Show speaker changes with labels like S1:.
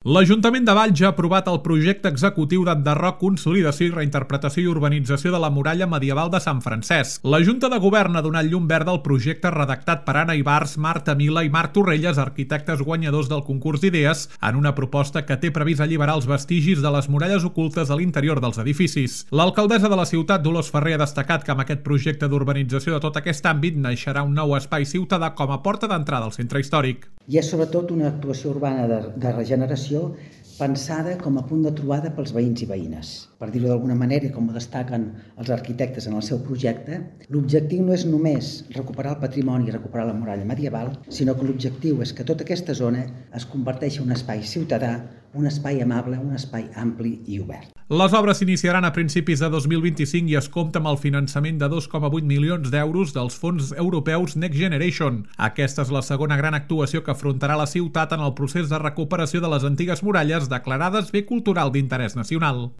S1: L'Ajuntament de Valls ha aprovat el projecte executiu d'enderroc, consolidació i reinterpretació i urbanització de la muralla medieval de Sant Francesc. La Junta de Govern ha donat llum verda al projecte redactat per Anna Ibars, Marta Mila i Marc Torrelles, arquitectes guanyadors del concurs d'idees, en una proposta que té previst alliberar els vestigis de les muralles ocultes a l'interior dels edificis. L'alcaldessa de la ciutat, Dolors Ferrer, ha destacat que amb aquest projecte d'urbanització de tot aquest àmbit naixerà un nou espai ciutadà com a porta d'entrada al centre històric.
S2: I és sobretot una actuació urbana de regeneració pensada com a punt de trobada pels veïns i veïnes. Per dir-ho d'alguna manera, i com ho destaquen els arquitectes en el seu projecte, l'objectiu no és només recuperar el patrimoni i recuperar la muralla medieval, sinó que l'objectiu és que tota aquesta zona es converteixi en un espai ciutadà, un espai amable, un espai ampli i obert.
S1: Les obres s'iniciaran a principis de 2025 i es compta amb el finançament de 2,8 milions d'euros dels fons europeus Next Generation. Aquesta és la segona gran actuació que afrontarà la ciutat en el procés de recuperació de les antigues muralles declarades bé cultural d'interès nacional.